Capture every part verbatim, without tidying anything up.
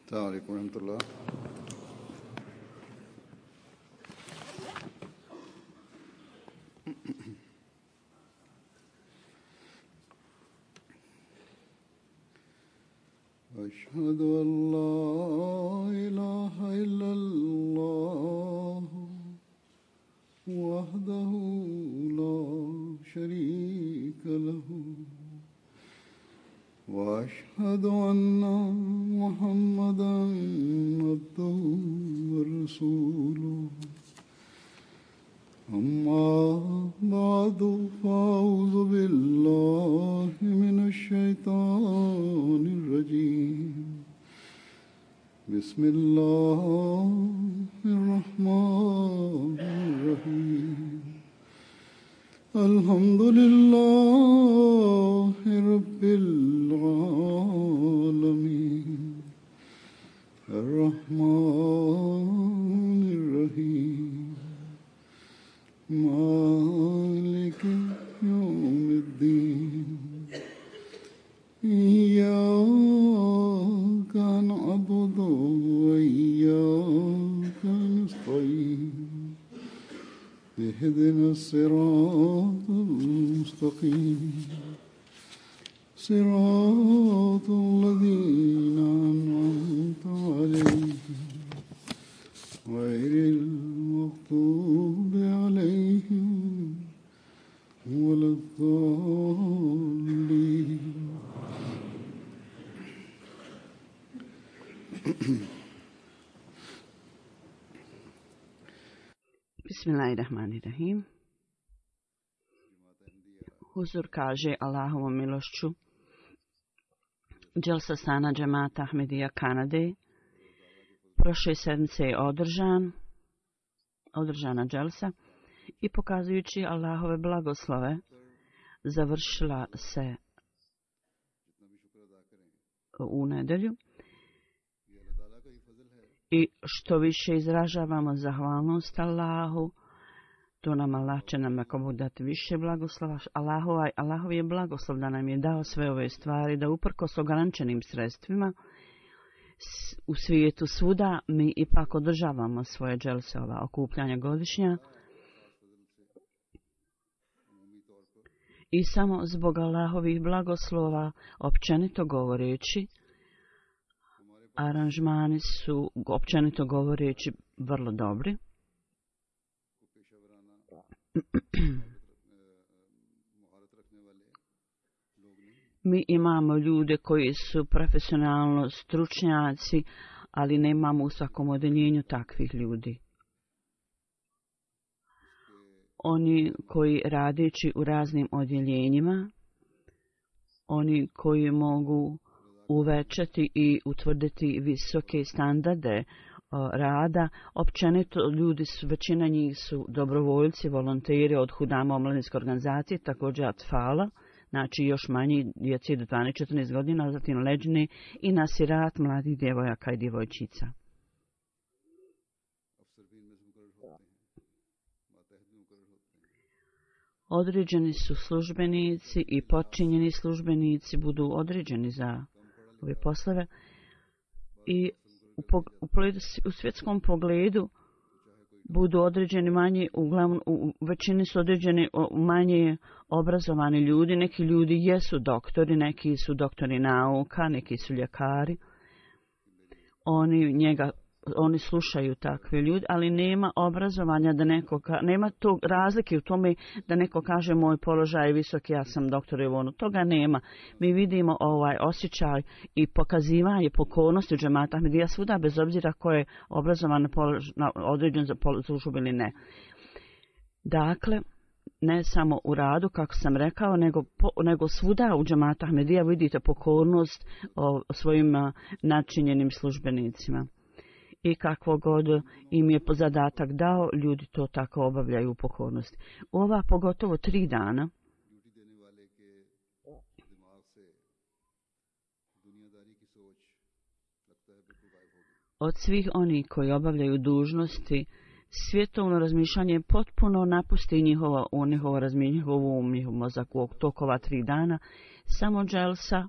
السلام عليكم ورحمة الله. أشهد أن لا إله إلا الله وحده لا شريك له وأشهد أن محمدًا عبده ورسوله أما بعد فأعوذ بالله من الشيطان الرجيم بسم الله الرحمن الرحيم الحمد لله رب العالمين الرحمن الرحيم مالك يوم الدين إياك نعبد وإياك نستعين اهدنا الصراط المستقيم صراط الذين أنعمت عليهم غير المغضوب عليهم ولا الضالين. Bismillahirrahmanirrahim. Huzur kaže Allahovom milošću Dželsa Sana Džemata Ahmedija Kanade prošle sedmice je održan, održana dželsa i pokazujući Allahove blagoslove završila se u nedjelju. I što više izražavamo zahvalnost Allahu, to nam Allah će nam ako Bog dati više blagoslova. Allahova, Allahov je blagoslov da nam je dao sve ove stvari, da uprkos ograničenim sredstvima u svijetu svuda mi ipak održavamo svoje dželse, ova okupljanja godišnja. I samo zbog Allahovih blagoslova, općenito govoreći, aranžmani su, općenito govoreći, vrlo dobri. Mi imamo ljude koji su profesionalno stručnjaci, ali nemamo u svakom odeljenju takvih ljudi. Oni koji radeći u raznim odjeljenjima, oni koji mogu uvećati i utvrditi visoke standarde rada, općenito ljudi su, većina njih su dobrovoljci, volonteri od Hudama omladinske organizacije, također Atfala, znači još manji djeci do dvanaest četrnaest godina, zatim Leđne i Nasirat mladih djevojaka i djevojčica. Određeni su službenici i podčinjeni službenici budu određeni za ove poslove i u, u, u svjetskom pogledu budu određeni manje, uglavnom u većini su određeni manje obrazovani ljudi. Neki ljudi jesu doktori, neki su doktori nauka, neki su ljekari. Oni njega Oni slušaju takve ljudi, ali nema obrazovanja da neko, nema tog razlike u tome da neko kaže moj položaj je visok, ja sam doktor i ono. Toga nema. Mi vidimo ovaj osjećaj i pokazivanje pokornosti u džemata Ahmedija svuda, bez obzira ko je obrazovan na određen za službu ili ne. Dakle, ne samo u radu, kako sam rekao, nego, po, nego svuda u džemata Ahmedija vidite pokornost o svojim a, načinjenim službenicima. I kakvo god im je zadatak dao, ljudi to tako obavljaju u pokornosti. Ova pogotovo tri dana od svih onih koji obavljaju dužnosti, svjetovno razmišljanje potpuno napusti njihovo, u njihovo razmišljanje, njihovu um, njihov mozak u tokova tri dana. Samo dželsa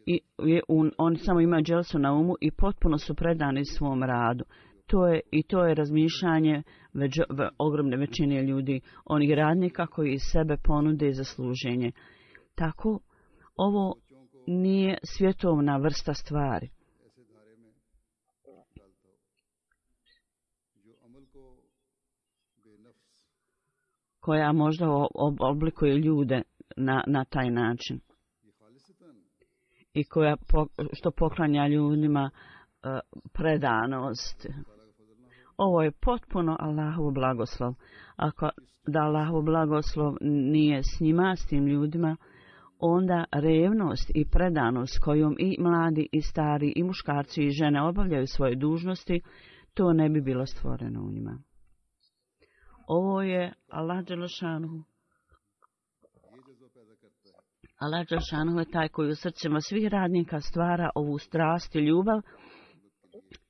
i un, oni samo imaju dželsu na umu i potpuno su predani svom radu. To je, I to je razmišljanje već, ve, ogromne većine ljudi, onih radnika koji sebe ponude za služenje. Tako, ovo nije svjetovna vrsta stvari. Koja možda oblikuje ljude na, na taj način. I koja po, što poklanja ljudima uh, predanost. Ovo je potpuno Allahov blagoslov. Ako da Allahov blagoslov nije s njima, s tim ljudima, onda revnost i predanost kojom i mladi i stari i muškarci i žene obavljaju svoje dužnosti, to ne bi bilo stvoreno u njima. Ovo je Allah dželešanu. Allah dželešanu je taj koji u srcima svih radnika stvara ovu strast i ljubav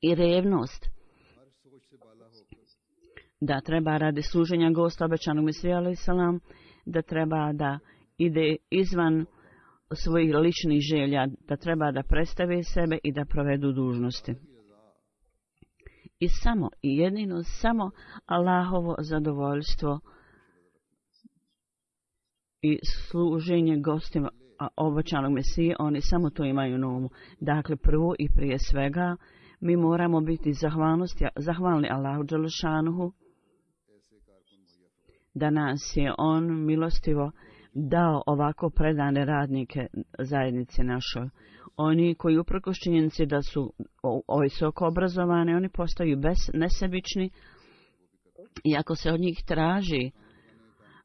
i revnost. Da treba radi služenja gosta obećanog Mesija alejhi selam, da treba da ide izvan svojih ličnih želja, da treba da predstave sebe i da provedu dužnosti. I samo i jedino samo Allahovo zadovoljstvo i služenje gostima obećanog Mesije, oni samo to imaju na umu. Dakle, prvo i prije svega mi moramo biti zahvalni Allahu dželešanuhu da nas je on milostivo dao ovako predane radnike zajednice našoj. Oni koji uprkos činjenici da su visoko obrazovani, oni postaju bez, nesebični i ako se od njih traži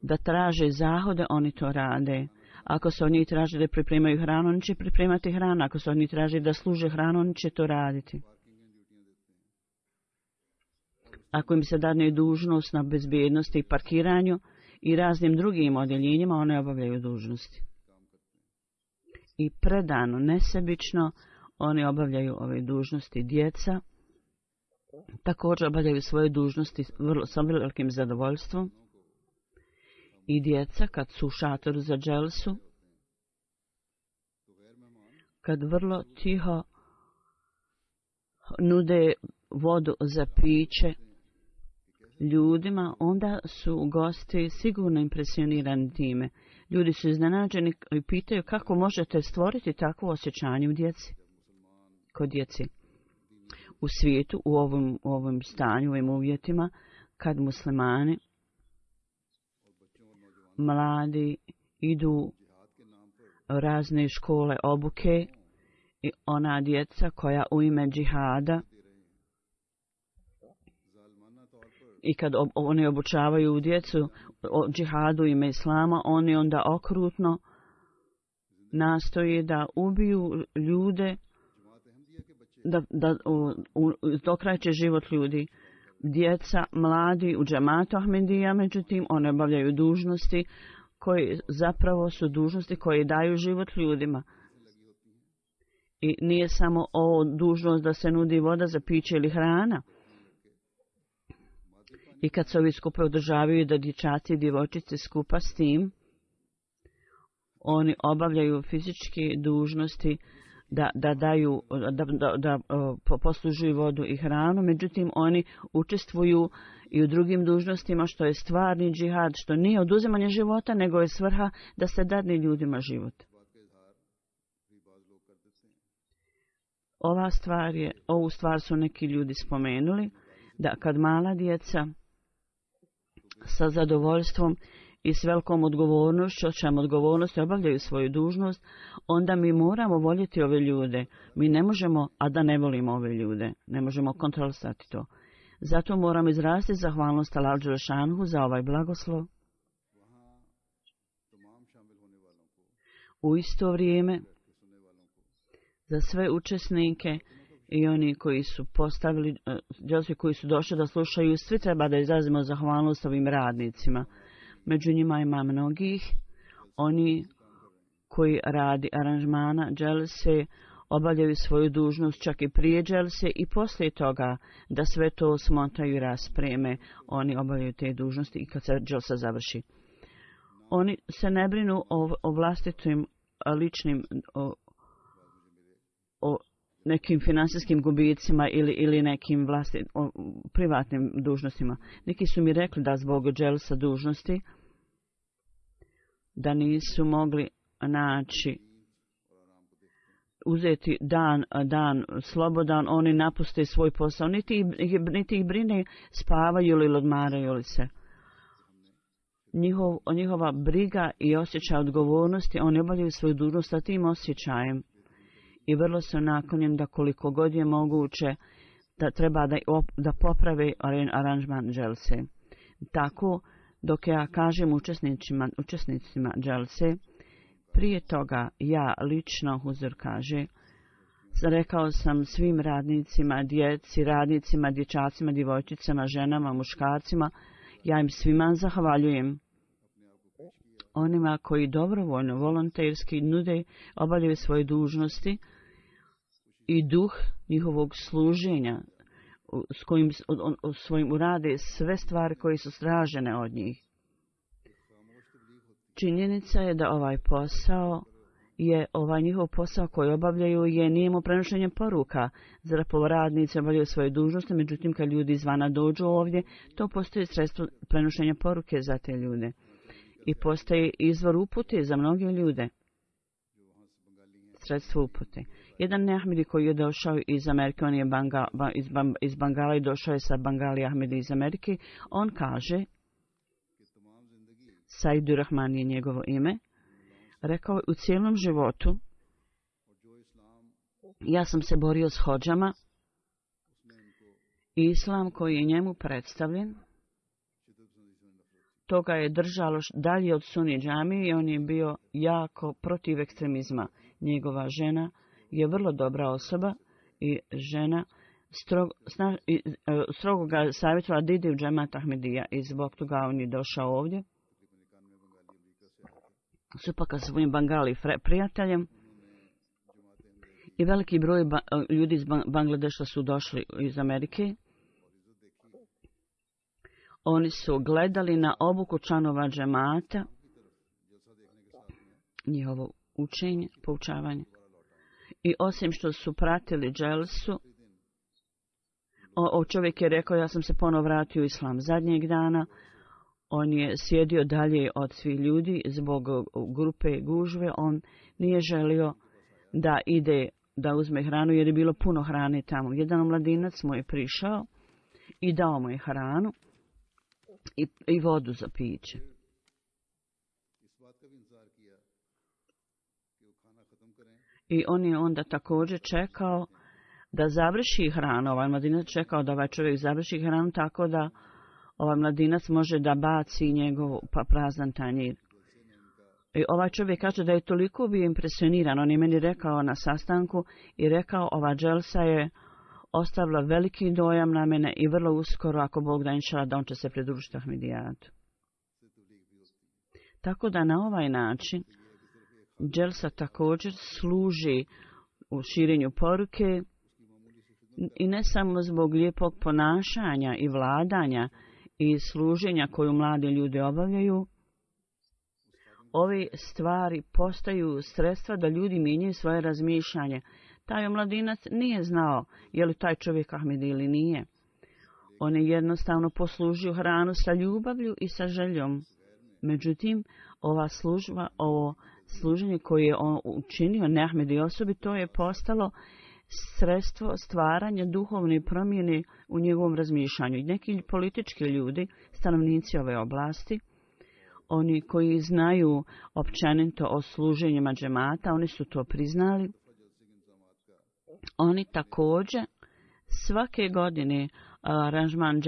da traže zahode, oni to rade. Ako se od njih traži da pripremaju hranu, oni će pripremati hranu. Ako se od njih traži da služe hranu, oni će to raditi. Ako im se dadne dužnost na bezbjednosti i parkiranju i raznim drugim odjeljenjima, one obavljaju dužnosti. I predano, nesebično, oni obavljaju ove dužnosti. Djeca također obavljaju svoje dužnosti vrlo, sa velikim zadovoljstvom. I djeca, kad su u šatoru za dželsu, kad vrlo tiho nude vodu za piće ljudima, onda su gosti sigurno impresionirani time. Ljudi su iznenađeni i pitaju kako možete stvoriti takvo osjećanje u djeci, kod djeci. U svijetu, u ovom, u ovom stanju, u ovim uvjetima, kad muslimani, mladi, idu u razne škole obuke i ona djeca koja u ime džihada i kad ob, oni obučavaju djecu o džihadu u ime islama, oni onda okrutno nastoje da ubiju ljude, da, da u, u, dokrajče život ljudi. Djeca, mladi u džematu Ahmedija, međutim, one obavljaju dužnosti koji zapravo su dužnosti koje daju život ljudima. I nije samo ovo dužnost da se nudi voda za piće ili hrana. I kad se ovi skupe održavaju da dječaci i djevojčice skupa s tim, oni obavljaju fizičke dužnosti da, da daju, da, da, da poslužuju vodu i hranu, međutim oni učestvuju i u drugim dužnostima što je stvarni džihad, što nije oduzimanje života, nego je svrha da se dadne ljudima život. Ova stvar je, ovu stvar su neki ljudi spomenuli, da kad mala djeca sa zadovoljstvom i s velikom odgovornošću, očajom odgovornosti obavljaju svoju dužnost, onda mi moramo voljeti ove ljude. Mi ne možemo, a da ne volimo ove ljude. Ne možemo kontrolisati to. Zato moramo izraziti zahvalnost Allahu dželešanuhu za ovaj blagoslov. U isto vrijeme, za sve učesnike i oni koji su postavili, dželsi koji su došli da slušaju, svi treba da izrazimo zahvalnost ovim radnicima. Među njima ima mnogih, oni koji radi aranžmana dželse obavljaju svoju dužnost čak i prije dželse i poslije toga da sve to smontaju i raspreme, oni obavljaju te dužnosti i kad se dželsa završi. Oni se ne brinu o, o vlastitim ličnim o, o nekim finansijskim gubicima ili, ili nekim vlasti, o, privatnim dužnostima. Neki su mi rekli da zbog dželsa dužnosti da nisu mogli naći uzeti dan, dan slobodan, oni napuste svoj posao, niti, niti ih brine spavaju ili odmaraju li se. Njihov, njihova briga i osjećaj odgovornosti, oni obavljaju svoju dužnost sa tim osjećajem i vrlo su naklonjeni da koliko god je moguće da treba da, da poprave aranžman dželse. Tako, dok ja kažem učesnicima, učesnicima dželse, prije toga ja lično, Huzur kaže, rekao sam svim radnicima, djeci, radnicima, dječacima, djevojčicama, ženama, muškarcima, ja im svima zahvaljujem. Onima koji dobrovoljno, volonterski nude, obavljaju svoje dužnosti i duh njihovog služenja s kojim on, on, svojim urade sve stvari koje su stražene od njih. Činjenica je da ovaj posao je ovaj njihov posao koji obavljaju je nijemo prenošenje poruka. Zapravo radnici obavljaju svoje dužnosti, međutim kad ljudi izvana dođu ovdje, to postoji sredstvo prenošenja poruke za te ljude. I postoji izvor upute za mnoge ljude. Sredstvo upute. Jedan neahmedi koji je došao iz Amerike, on je banga, iz, iz Bangala i došao je sa Bangali Ahmedi iz Amerike, on kaže, Saidur Rahman je njegovo ime, rekao je u cijelom životu, ja sam se borio s hodžama, islam koji je njemu predstavljen, toga je držalo dalje od Suni džamije i on je bio jako protiv ekstremizma. Njegova žena je vrlo dobra osoba i žena strog, sna, i, strogo ga savjetovala da ide u džemat Ahmedija i zbog toga on je došao ovdje. Supaka sa svojim Bangali prijateljem i veliki broj ba, ljudi iz Bangladeša su došli iz Amerike. Oni su gledali na obuku članova džemata, njihovo učenje, poučavanje. I osim što su pratili dželsu, o, o čovjek je rekao, ja sam se ponovo vratio u islam zadnjeg dana. On je sjedio dalje od svih ljudi zbog grupe gužve. On nije želio da ide da uzme hranu jer je bilo puno hrane tamo. Jedan mladinac mu je prišao i dao mu je hranu i, i vodu za piće. I on je onda također čekao da završi hranu. Ovaj mladinac čekao da ovaj čovjek završi hranu tako da ovaj mladinac može da baci njegov pa prazan tanjir. I ovaj čovjek kaže da je toliko bio impresioniran. On je meni rekao na sastanku i rekao ova dželsa je ostavila veliki dojam na mene i vrlo uskoro, ako Bog da inšala, da on će se pridružiti Ahmedijatu. Tako da na ovaj način dželsa također služi u širenju poruke i ne samo zbog lijepog ponašanja i vladanja i služenja koju mladi ljudi obavljaju. Ove stvari postaju sredstva da ljudi mijenjaju svoje razmišljanje. Taj mladinac nije znao je li taj čovjek Ahmedi ili nije. On je jednostavno poslužio hranu sa ljubavlju i sa željom. Međutim, ova služba, ovo služenje koje je on učinio neahmedi osobi, to je postalo sredstvo stvaranja duhovne promjene u njegovom razmišljanju. Neki politički ljudi, stanovnici ove oblasti, oni koji znaju općenito o služenjima džemata, oni su to priznali. Oni također svake godine aranžman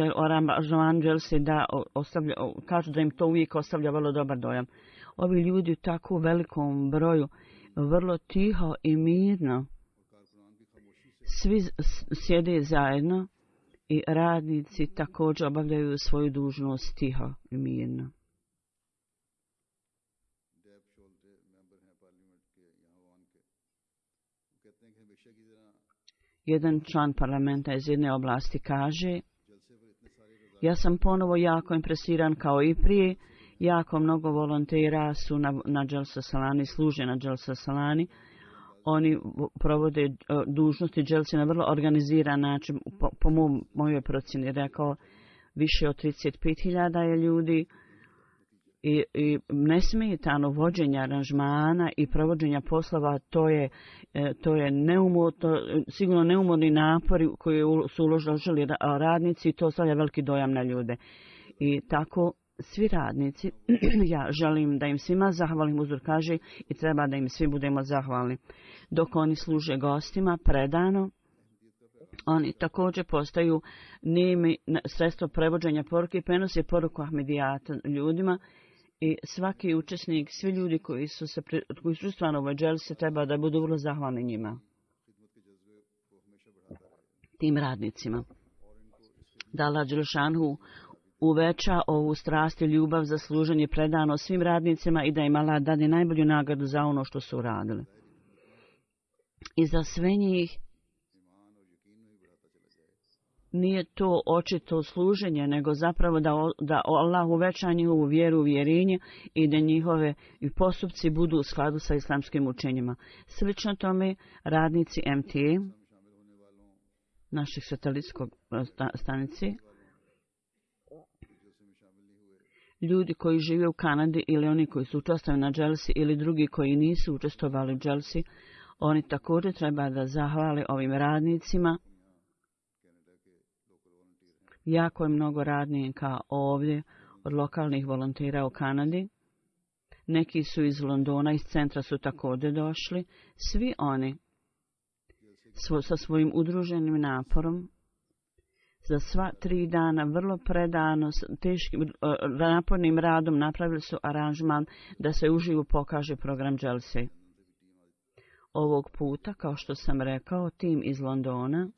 dželse da ostavlja, kažu da im to uvijek ostavlja vrlo dobar dojam. Ovi ljudi u tako velikom broju vrlo tiho i mirno svi sjede zajedno i radnici također obavljaju svoju dužnost tiho i mirno. Jedan član parlamenta iz jedne oblasti kaže, ja sam ponovo jako impresiran kao i prije, jako mnogo volontera su na, na Dželsa Salani, služe na Dželsa Salani. Oni provode dužnosti dželsi na vrlo organiziran način, po, po mom, mojoj procjeni rekao, više od trideset pet hiljada je ljudi i, i nesmetano vođenje aranžmana i provođenja poslova, to je, to je neumorno, sigurno neumorni napori koji su uložili radnici i to stavlja veliki dojam na ljude. I tako svi radnici, ja želim da im svima zahvalim, uzor kaže, i treba da im svi budemo zahvalni. Dok oni služe gostima predano, oni također postaju nemi sredstvo prevođenja poruke i prenose poruku Ahmedijata ljudima i svaki učesnik, svi ljudi koji su se koji su stvarno u ovoj dželsi treba da budu vrlo zahvalni njima, tim radnicima. Da Allah dželešanu uveća ovu strast i ljubav za služenje predano svim radnicima i da im Allah dade najbolju nagradu za ono što su uradili. I za sve njih nije to očito služenje, nego zapravo da, da Allah uveća njihovu vjeru, uvjerenje i da njihove i postupci budu u skladu sa islamskim učenjima. Slično tome radnici M T A, naših satelitskog stanici, ljudi koji žive u Kanadi ili oni koji su učestvovali na dželsi ili drugi koji nisu učestvovali u dželsi, oni također treba da zahvale ovim radnicima. Jako je mnogo radnika ovdje od lokalnih volontera u Kanadi. Neki su iz Londona, iz centra su također došli. Svi oni svo, sa svojim udruženim naporom za sva tri dana vrlo predano, teškim napornim radom napravili su aranžman da se uživo pokaže program dželsi. Ovog puta, kao što sam rekao, tim iz Londona,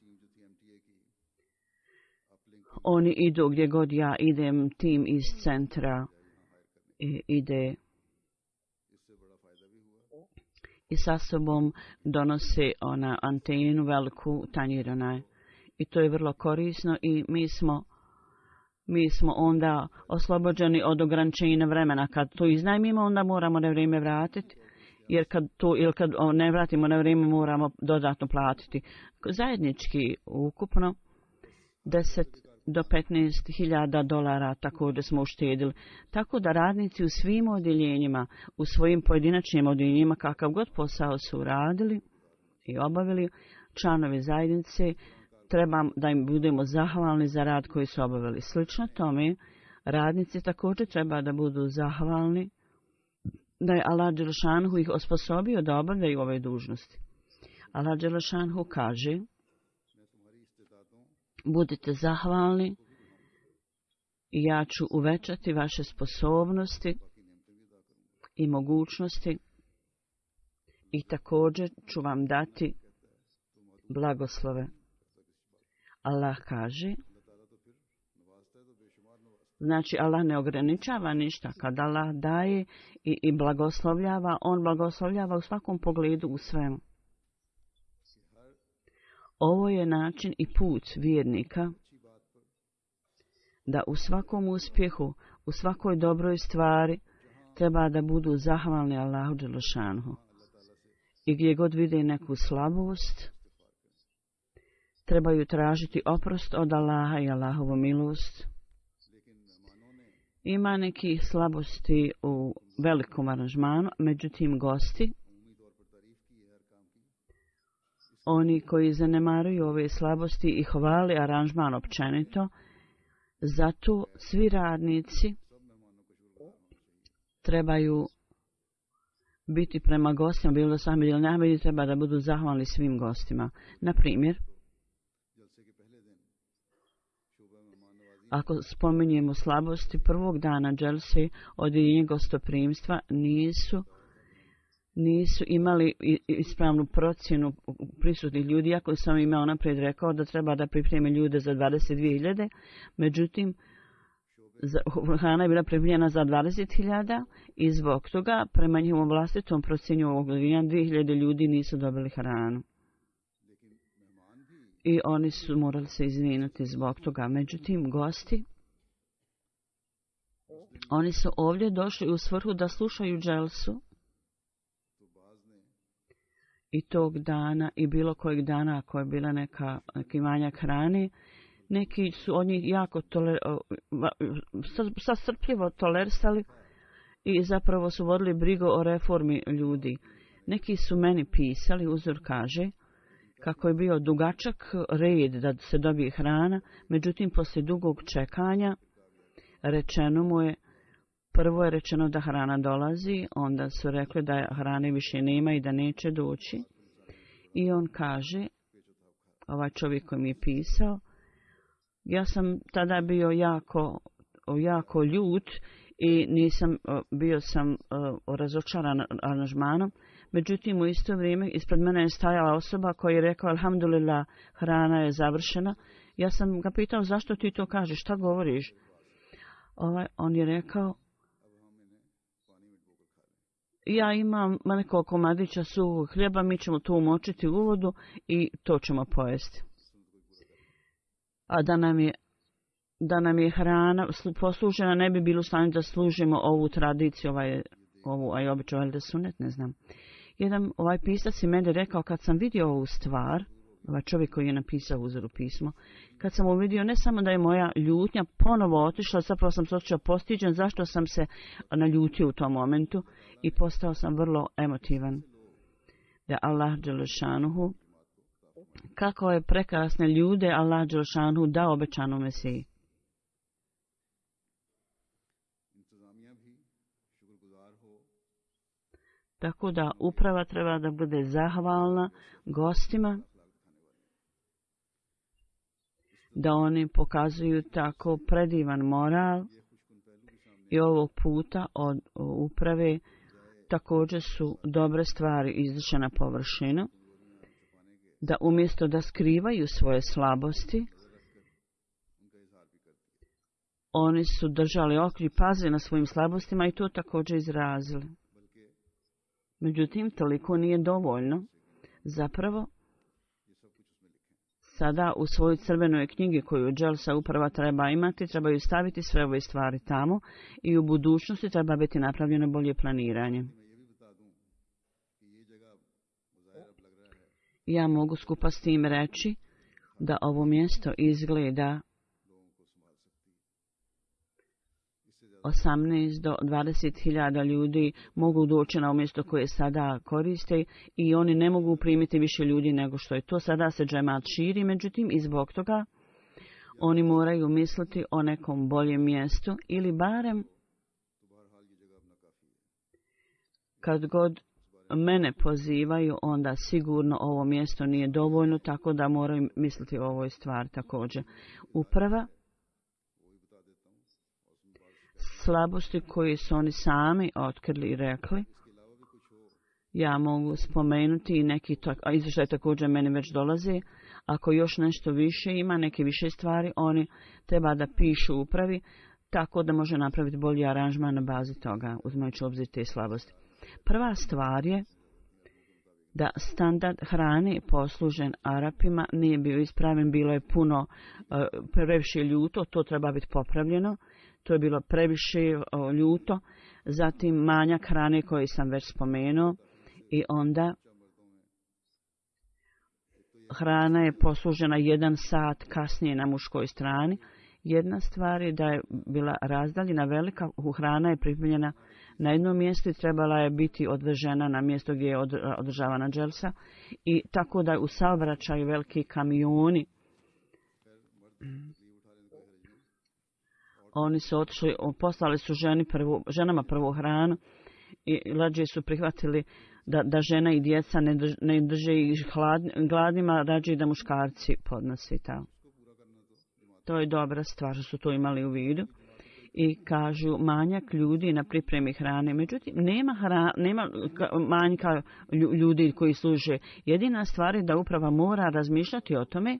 oni idu gdje god ja idem, tim iz centra ide i sa sobom donose ona antenu veliku tanjirana. I to je vrlo korisno i mi smo, mi smo onda oslobođeni od ograničenja vremena. Kad to iznajmimo, onda moramo na vrijeme vratiti, jer kad, to, ili kad ne vratimo na vrijeme, moramo dodatno platiti. Zajednički ukupno deset do petnaest hiljada dolara također smo uštedili. Tako da radnici u svim odjeljenjima, u svojim pojedinačnim odjeljenjima, kakav god posao su radili i obavili, članovi zajednice, treba da im budemo zahvalni za rad koji su obavili. Slično tome, radnici također treba da budu zahvalni da je Allah dželešanu ih osposobio da obavljaju ove dužnosti. Allah dželešanu kaže: budite zahvalni i ja ću uvećati vaše sposobnosti i mogućnosti i također ću vam dati blagoslove. Allah kaže, znači Allah ne ograničava ništa. Kad Allah daje i, i blagoslovljava, on blagoslovljava u svakom pogledu, u svemu. Ovo je način i put vjernika da u svakom uspjehu, u svakoj dobroj stvari treba da budu zahvalni Allahu dželešanu. I gdje god vide neku slabost, trebaju tražiti oprost od Allaha i Allahovu milost. Ima neki slabosti u velikom aranžmanu, međutim gosti, oni koji zanemaruju ove slabosti i hvali aranžman općenito, zato svi radnici trebaju biti prema gostima, bilo sami ili najbolji, treba da budu zahvalni svim gostima. Na primjer, ako spominjemo slabosti prvog dana dželsi, odjeljenje gostoprimstva nisu, nisu imali ispravnu procjenu prisutnih ljudi, iako sam imao naprijed rekao da treba da pripreme ljude za dvadeset dvije hiljade, međutim, hrana je bila pripremljena za dvadeset hiljada i zbog toga, prema njihovom vlastitom procjenju ovog godina, dvije hiljade ljudi nisu dobili hranu. I oni su morali se izvinuti zbog toga. Međutim, gosti, oni su ovdje došli u svrhu da slušaju dželsu i tog dana i bilo kojeg dana ako je bila neka, neki manjak hrane, neki su od njih jako toler, sastrpljivo tolerisali i zapravo su vodili brigu o reformi ljudi. Neki su meni pisali, uzor kaže, kako je bio dugačak red da se dobije hrana, međutim poslije dugog čekanja rečeno mu je, prvo je rečeno da hrana dolazi, onda su rekli da hrane više nema i da neće doći. I on kaže, ovaj čovjek koji mi je pisao, ja sam tada bio jako, jako ljut i nisam, bio sam razočaran aranžmanom. Međutim, u isto vrijeme ispred mene je stajala osoba koja je rekla, alhamdulillah, hrana je završena. Ja sam ga pitao, zašto ti to kažeš, šta govoriš? Ovaj, on je rekao, ja imam nekoliko komadića suvog hljeba, mi ćemo to umočiti u vodu i to ćemo pojesti. A da nam je, da nam je hrana poslužena, ne bi bilo u stanju da služimo ovu tradiciju, ovaj, ovu aj običaj, ali da sunet, ne znam. Jedan ovaj pisac i meni rekao, kad sam vidio ovu stvar, ovaj čovjek koji je napisao uzoru pismo, kad sam uvidio ne samo da je moja ljutnja ponovo otišla, zapravo sam se osjećao postiđen, zašto sam se naljutio u tom momentu i postao sam vrlo emotivan. Da Allah dželešanuhu, kako je prekrasne ljude Allah dželešanuhu dao obećanu Mesiji. Tako da uprava treba da bude zahvalna gostima, da oni pokazuju tako predivan moral i ovog puta od uprave također su dobre stvari izašle na površinu, da umjesto da skrivaju svoje slabosti, oni su držali oči i pazili na svojim slabostima i to također izrazili. Međutim, toliko nije dovoljno. Zapravo, sada u svojoj crvenoj knjigi koju Dželsa uprava treba imati, trebaju staviti sve ove stvari tamo i u budućnosti treba biti napravljeno bolje planiranje. Ja mogu skupa s tim reći da ovo mjesto izgleda osamnaest do dvadeset hiljada ljudi mogu doći na mjesto koje sada koriste i oni ne mogu primiti više ljudi nego što je to. Sada se džemat širi, međutim i zbog toga oni moraju misliti o nekom boljem mjestu ili barem kad god mene pozivaju, onda sigurno ovo mjesto nije dovoljno, tako da moraju misliti o ovoj stvari također. Uprava slabosti koje su oni sami otkrili i rekli. Ja mogu spomenuti i neki izvještaj također meni već dolazi. Ako još nešto više ima, neke više stvari, oni treba da pišu upravi, tako da može napraviti bolji aranžman na bazi toga, uzmajući obzir te slabosti. Prva stvar je da standard hrane poslužen Arapima nije bio ispraven, bilo je puno uh, previše ljuto, to treba biti popravljeno. To je bilo previše o, ljuto, zatim manjak hrane koji sam već spomenuo i onda hrana je poslužena jedan sat kasnije na muškoj strani. Jedna stvar je da je bila razdaljena velika, hrana je pripremljena na jednom mjestu i trebala je biti odvežena na mjesto gdje je održavana dželsa i tako da u saobraćaju veliki kamioni. Oni su otišli, poslali su ženi prvu, ženama prvu hranu i rađe su prihvatili da, da žena i djeca ne, drž, ne drže ih hladni, gladnima, rađe da muškarci podnosi ta. To je dobra stvar što su to imali u vidu. I kažu manjak ljudi na pripremi hrane. Međutim, nema, hra, nema manjka ljudi koji služe. Jedina stvar je da uprava mora razmišljati o tome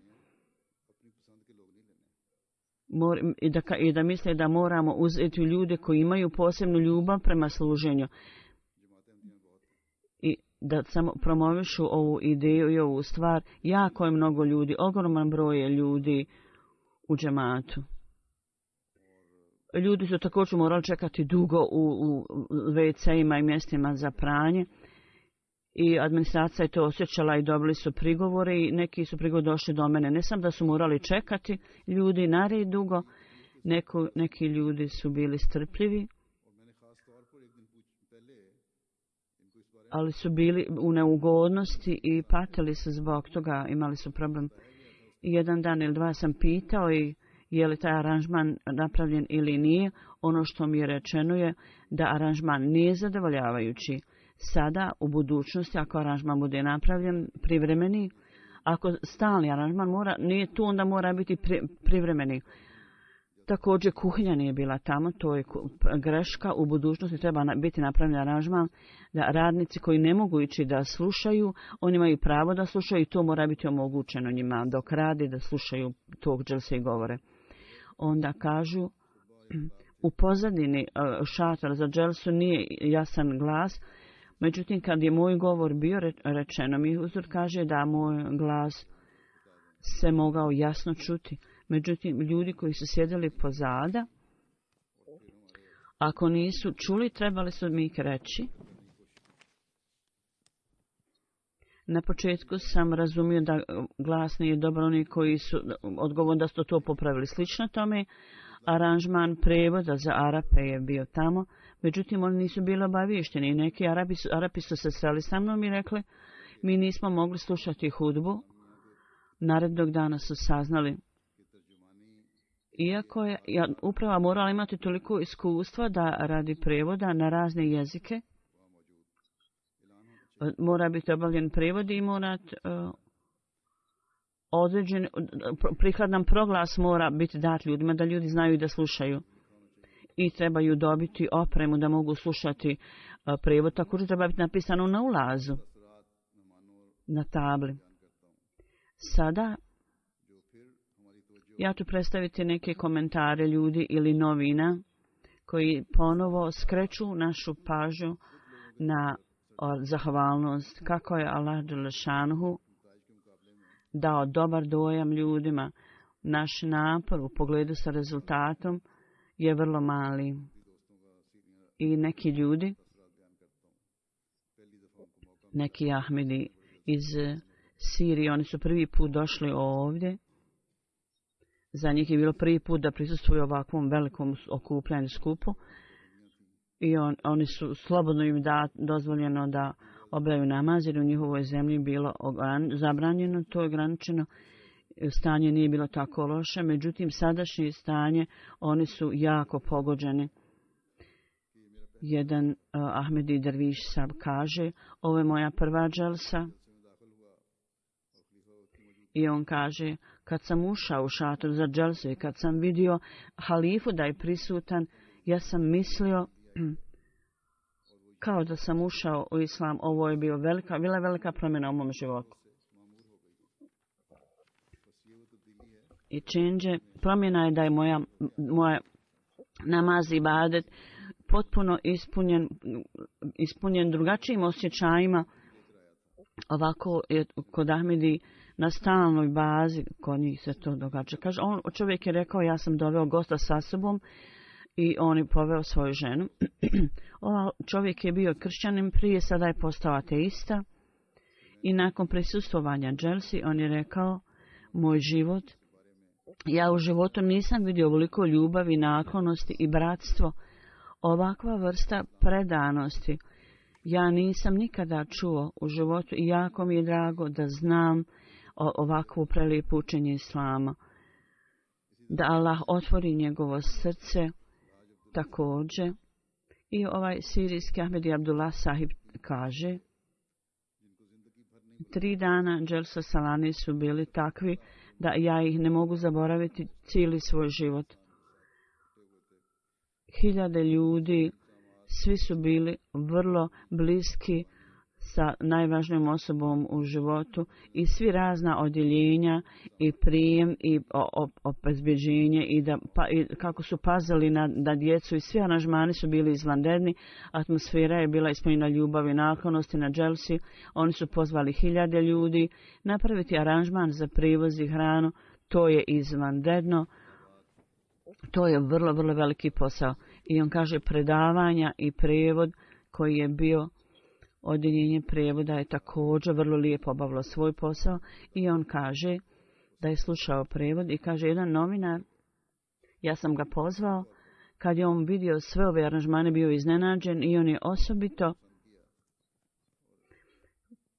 I da, i da misle da moramo uzeti ljude koji imaju posebnu ljubav prema služenju i da samo promovišu ovu ideju i ovu stvar. Jako je mnogo ljudi, ogroman broj je ljudi u džematu. Ljudi su također morali čekati dugo u, u ve ce ima i mjestima za pranje i administracija je to osjećala i dobili su prigovore i neki su prigovori došli do mene. Ne sam da su morali čekati ljudi na red dugo, Neko, neki ljudi su bili strpljivi, ali su bili u neugodnosti i patili se zbog toga, imali su problem. I jedan dan ili dva sam pitao i je li taj aranžman napravljen ili nije. Ono što mi je rečeno je da aranžman nije zadovoljavajući. Sada, u budućnosti, ako aranžman bude napravljen privremeni, ako stalni aranžman mora, nije tu, onda mora biti pri, privremeni. Također kuhinja nije bila tamo, to je greška. U budućnosti treba biti napravljen aranžman da radnici koji ne mogu ići da slušaju, oni imaju pravo da slušaju i to mora biti omogućeno njima dok radi da slušaju tog dželse i govore. Onda kažu, u pozadini šatora za dželsu nije jasan glas, međutim kad je moj govor bio rečeno, mi uzor kaže da moj glas se mogao jasno čuti. Međutim, ljudi koji su sjedili pozada, ako nisu čuli, trebali su mi reći. Na početku sam razumio da glas nije dobar, oni koji su odgovorni da su to popravili. Slično tome, aranžman prevoda za Arape je bio tamo, međutim, oni nisu bili obavješteni. Neki Arapi su, Arapi su se sreli sa mnom i rekli, mi nismo mogli slušati hudbu. Narednog dana su saznali. Iako je ja, uprava morala imati toliko iskustva da radi prevoda na razne jezike, mora biti obavljen prevod i mora uh, određen, prikladan proglas mora biti dat ljudima da ljudi znaju da slušaju. I trebaju dobiti opremu da mogu slušati uh, prevod. Također treba biti napisano na ulazu, na tabli. Sada ja ću predstaviti neke komentare ljudi ili novina koji ponovo skreću našu pažnju na zahvalnost kako je Allah dželešanuhu dao dobar dojam ljudima. Naš napor u pogledu sa rezultatom je vrlo mali. I neki ljudi, neki Ahmedi iz Sirije, oni su prvi put došli ovdje. Za njih je bilo prvi put da prisustvuju ovakvom velikom okupljanju skupu i on, oni su slobodno im da, dozvoljeno da obavljaju namaz jer u njihovoj zemlji bilo ogran, zabranjeno, to je ograničeno. Stanje nije bilo tako loše, međutim sadašnje stanje oni su jako pogođeni. Jedan uh, Ahmedi Derviš Sab kaže, ovo je moja prva dželsa. I on kaže, kad sam ušao u šator za dželsu i kad sam vidio halifu da je prisutan, ja sam mislio kao da sam ušao u islam. Ovo je bio velika, bila velika promjena u mom životu. I činđe, promjena je da je moja, moja namaz i ibadet potpuno ispunjen, ispunjen drugačijim osjećajima. Ovako je kod Ahmedi na stalnoj bazi, kod njih se to događa. Kaže, on, čovjek je rekao, ja sam doveo gosta sa sobom i on je poveo svoju ženu. Ova čovjek je bio kršćanin prije, sada je postao ateista. I nakon prisustvovanja dželsi, on je rekao, moj život, ja u životu nisam vidio ovoliko ljubavi, naklonosti i bratstvo. Ovakva vrsta predanosti ja nisam nikada čuo u životu i jako mi je drago da znam ovakvu prelijepu učenje islama. Da Allah otvori njegovo srce također. I ovaj sirijski Ahmedi Abdullah Sahib kaže, tri dana dželsa salani su bili takvi da ja ih ne mogu zaboraviti cijeli svoj život. Hiljade ljudi, svi su bili vrlo bliski sa najvažnijom osobom u životu i svi razna odjeljenja i prijem i obezbeđenje i, da, pa, i kako su pazili na, na djecu i svi aranžmani su bili izvanredni. Atmosfera je bila ispunjena ljubavi i naklonosti na dželsi. Oni su pozvali hiljade ljudi napraviti aranžman za prijevoz i hranu. To je izvanredno. To je vrlo, vrlo veliki posao. I on kaže predavanja i prijevod koji je bio Odjeljenje prijevoda je također vrlo lijepo obavilo svoj posao i on kaže da je slušao prijevod i kaže jedan novinar, ja sam ga pozvao, kad je on vidio sve ove aranžmane bio iznenađen i on je osobito,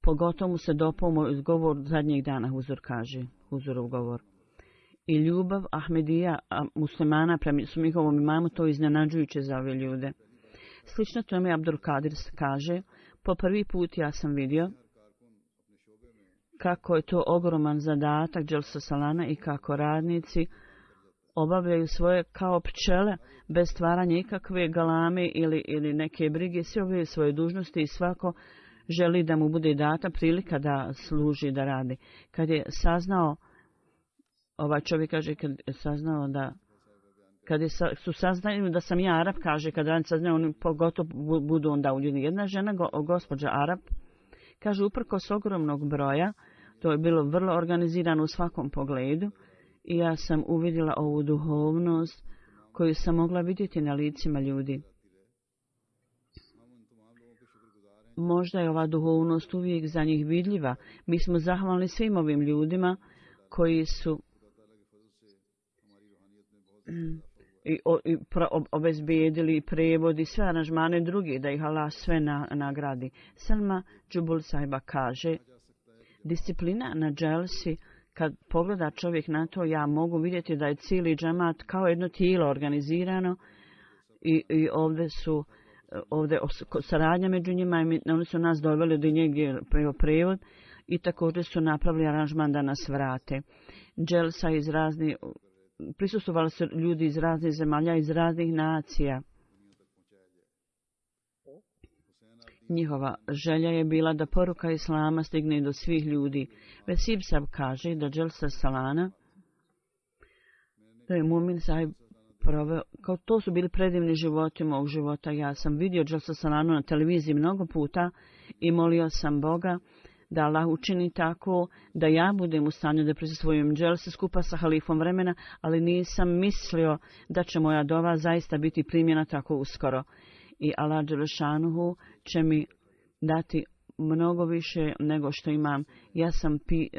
pogotovo mu se dopao moj govor zadnjeg dana, Huzur kaže, Huzurov govor. I ljubav Ahmedija muslimana prema njihovom imamu, to je iznenađujuće za ove ljude. Slično tome Abdul Kadir kaže, po prvi put ja sam vidio kako je to ogroman zadatak Dželsa Salana i kako radnici obavljaju svoje kao pčele bez stvaranja ikakve galame ili, ili neke brige, svi obavljaju svoje dužnosti i svako želi da mu bude data prilika da služi, da radi. Kad je saznao, ovaj čovjek kaže, kad je saznao da, kad je sa, su saznali da sam ja Arab, kaže, kad radnici saznaju, oni pogotovo budu onda uljeni. Jedna žena, go, gospođa Arab, kaže, uprkos ogromnog broja, to je bilo vrlo organizirano u svakom pogledu i ja sam uvidjela ovu duhovnost koju sam mogla vidjeti na licima ljudi. Možda je ova duhovnost uvijek za njih vidljiva. Mi smo zahvalni svim ovim ljudima koji su i, o, i pro, obezbijedili prevod i sve aranžmane drugi, da ih Allah sve na, nagradi. Selma Džubul Sahiba kaže, disciplina na dželsi, kad pogleda čovjek na to, ja mogu vidjeti da je cijeli džemat kao jedno tijelo organizirano i, i ovdje su ovdje saradnja među njima i oni su nas doveli do njegdje prevod i također su napravili aranžman da nas vrate. Dželsa iz raznih, prisustvovali su ljudi iz raznih zemalja, iz raznih nacija. Njihova želja je bila da poruka Islama stigne do svih ljudi. Vesib Sab kaže da Dželsa Salana, da je Mumin Sahib proveo, kao to su bili predivni životi mog života. Ja sam vidio Dželsa Salanu na televiziji mnogo puta i molio sam Boga da Allah učini tako da ja budem u stanju da prisustvujem dželsi skupa sa halifom vremena, ali nisam mislio da će moja dova zaista biti primjena tako uskoro. I Allah Đelešanuhu će mi dati mnogo više nego što imam. Ja sam pi,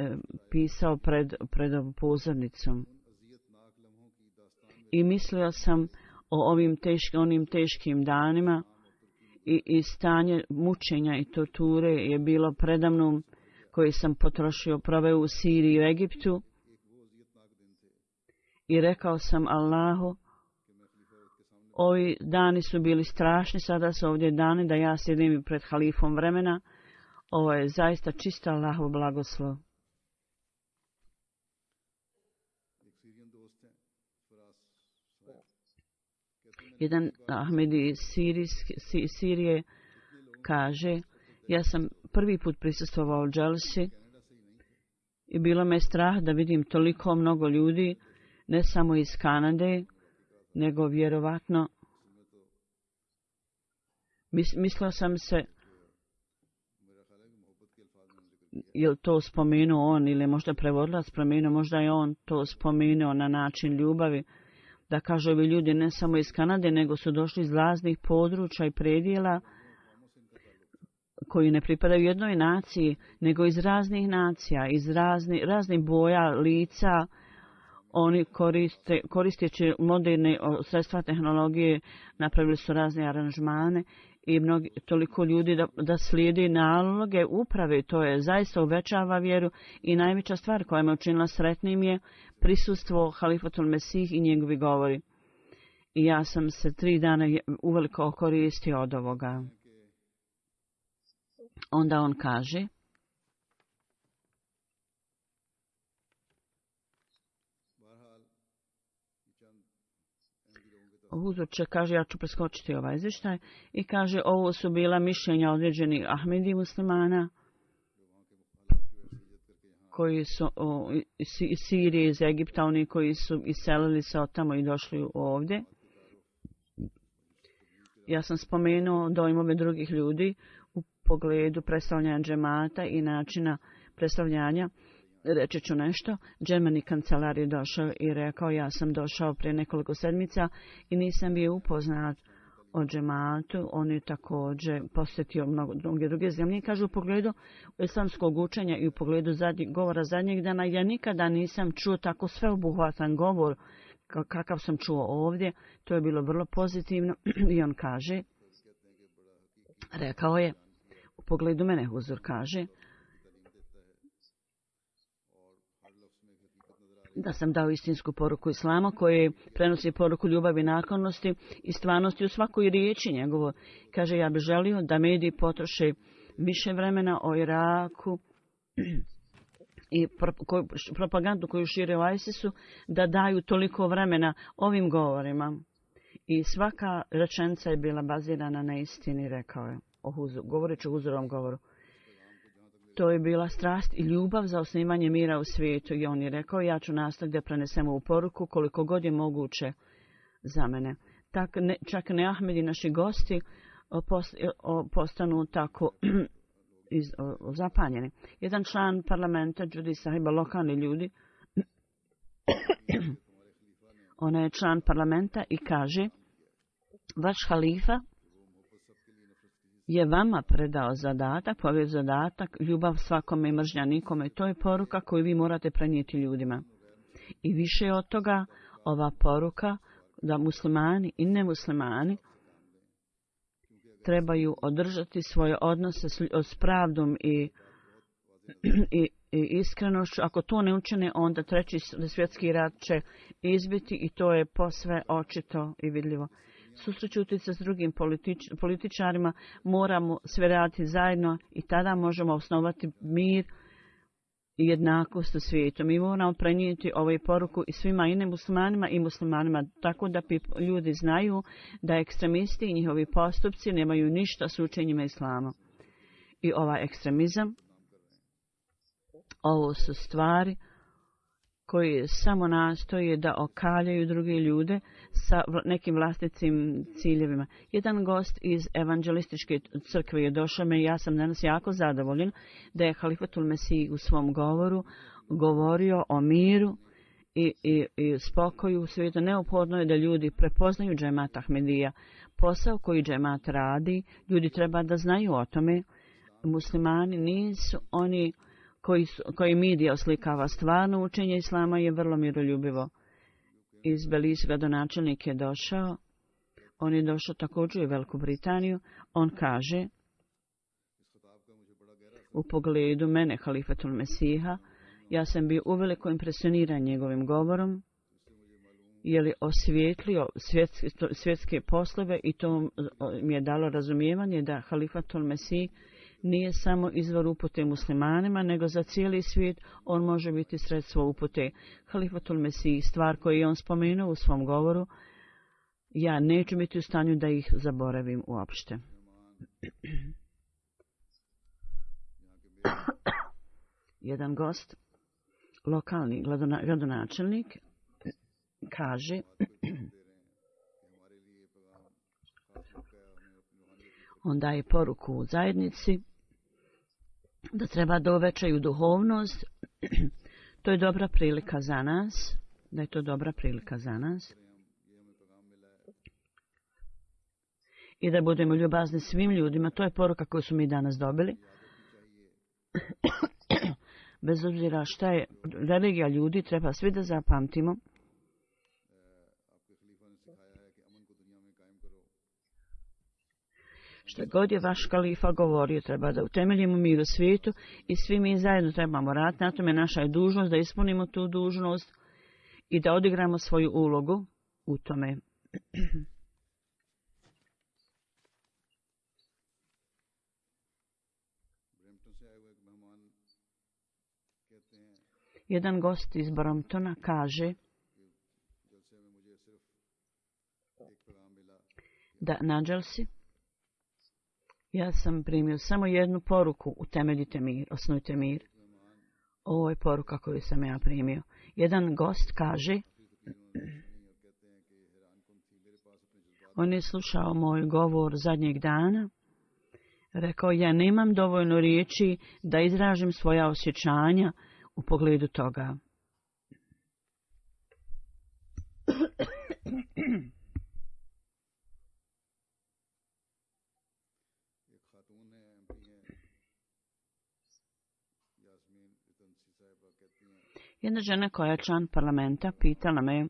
pisao pred, pred pozornicom. I mislio sam o ovim teškim, onim teškim danima i, i stanje mučenja i torture je bilo predamnom koji sam potrošio, proveo u Siriji i u Egiptu. I rekao sam Allahu, ovi dani su bili strašni, sada su ovdje dani da ja sjedim pred halifom vremena. Ovo je zaista čista Allahov blagoslov. Jedan Ahmedi iz Sirije kaže, ja sam prvi put prisustvovao dželsi i bilo me strah da vidim toliko mnogo ljudi, ne samo iz Kanade, nego vjerovatno mislio sam se, je li to spomenuo on ili možda prevodilac spomenuo, možda je on to spomenuo na način ljubavi, da kaže ovi ljudi ne samo iz Kanade, nego su došli iz raznih područja i predjela koji ne pripadaju jednoj naciji, nego iz raznih nacija, iz razni, raznih boja, lica. Oni koriste, koristeći moderne sredstva tehnologije, napravili su razne aranžmane i mnogi, toliko ljudi da, da slijedi naloge uprave. To je zaista uvećava vjeru i najveća stvar koja me učinila sretnim je prisustvo Halifatul Mesih i njegovi govori. I ja sam se tri dana uveliko koristio od ovoga. Onda on kaže, Huzur će, kaže, ja ću preskočiti ovaj izvještaj i kaže, ovo su bila mišljenja određenih Ahmedi muslimana koji su o, iz Sirije, iz Egipta, oni koji su iselili se od tamo i došli ovdje. Ja sam spomenuo dojmove drugih ljudi u pogledu predstavljanja džemata i načina predstavljanja. Reći ću nešto. Džemani kancelar je došao i rekao, ja sam došao prije nekoliko sedmica i nisam bio upoznat o džematu. On je također posjetio mnogo mnoge druge zemlje. Kaže u pogledu islamskog učenja i u pogledu zadnjeg, govora zadnjeg dana, ja nikada nisam čuo tako sveobuhvatan govor kakav sam čuo ovdje. To je bilo vrlo pozitivno. I on kaže, rekao je, u pogledu mene Huzur kaže, da sam dao istinsku poruku Islama koji prenosi poruku ljubavi, naklonosti i stvarnosti u svakoj riječi njegovo. Kaže, ja bih želio da mediji potroše više vremena o Iraku i propagandu koju šire u ISIS-u, da daju toliko vremena ovim govorima. I svaka rečenica je bila bazirana na istini, rekao je, o Huzur, govoreći o Huzurovom govoru. To je bila strast i ljubav za osnivanje mira u svijetu. I on je rekao, ja ću nastaviti da prenesem ovu poruku koliko god je moguće za mene. Tak, ne, čak ne Ahmedi, naši gosti, post, postanu tako iz, o, zapanjeni. Jedan član parlamenta, Đudi Sahiba, lokalni ljudi, ona je član parlamenta i kaže, vaš halifa je vama predao zadatak, povijed zadatak, ljubav svakome i mržnja nikome. To je poruka koju vi morate prenijeti ljudima. I više od toga, ova poruka da muslimani i nemuslimani trebaju održati svoje odnose s, s pravdom i, i, i iskrenošću. Ako to ne učine, onda treći svjetski rat će izbiti i to je posve očito i vidljivo. Susrećuti se s drugim politič, političarima, moramo sve raditi zajedno i tada možemo osnovati mir i jednakost u svijetu. Mi moramo prenijeti ovu poruku i svima i nemuslimanima i muslimanima, tako da ljudi znaju da ekstremisti i njihovi postupci nemaju ništa s učenjima islama. I ovaj ekstremizam, ovo su stvari koji samo nastoje da okaljaju druge ljude sa nekim vlastitim ciljevima. Jedan gost iz evanđelističke crkve je došao me i ja sam danas jako zadovoljen da je Halifatul Mesih u svom govoru govorio o miru i, i, i spokoju u svijetu. Neophodno je da ljudi prepoznaju džemat Ahmedija. Posao koji džemat radi, ljudi treba da znaju o tome. Muslimani nisu oni koji, su, koji medija oslikava. Stvarno učenje islama je vrlo miroljubivo. Iz Belize gradonačelnik je došao. On je došao također u Veliku Britaniju. On kaže u pogledu mene, Halifatul Mesiha, ja sam bio uveliko impresioniran njegovim govorom, jer je osvijetlio svjetske, svjetske poslove i to mi je dalo razumijevanje da Halifatul Mesih nije samo izvor upute muslimanima, nego za cijeli svijet on može biti sredstvo upute. Halifatul Mesih, stvar koju je on spomenuo u svom govoru, ja neću biti u stanju da ih zaboravim uopšte. Jedan gost, lokalni gradonačelnik, kaže on daje poruku u zajednici da treba da uvećaju duhovnost. To je dobra prilika za nas, da je to dobra prilika za nas. I da budemo ljubazni svim ljudima. To je poruka koju su mi danas dobili. Bez obzira šta je religija ljudi, treba svi da zapamtimo što god je vaš kalifa govorio, treba da utemeljimo mir u svijetu i svi mi zajedno trebamo raditi. Na tome naša je dužnost da ispunimo tu dužnost i da odigramo svoju ulogu u tome. Jedan gost iz Bramptona kaže da na dželsi ja sam primio samo jednu poruku, utemeljite mir, osnujte mir. Ovo je poruka koju sam ja primio. Jedan gost kaže, on je slušao moj govor zadnjeg dana, rekao, ja nemam dovoljno riječi da izražim svoja osjećanja u pogledu toga. Jedna žena koja je član parlamenta pitala me,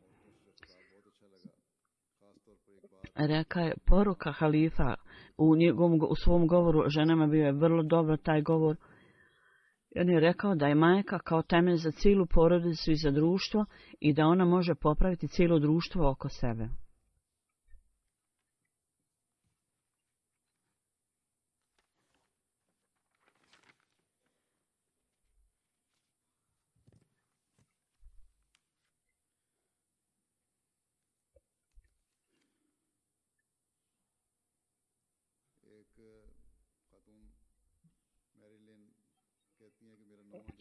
reka je, poruka halifa u, njegovom, u svom govoru ženama bio je vrlo dobro taj govor. On je rekao da je majka kao temelj za cijelu porodicu i za društvo i da ona može popraviti cijelo društvo oko sebe.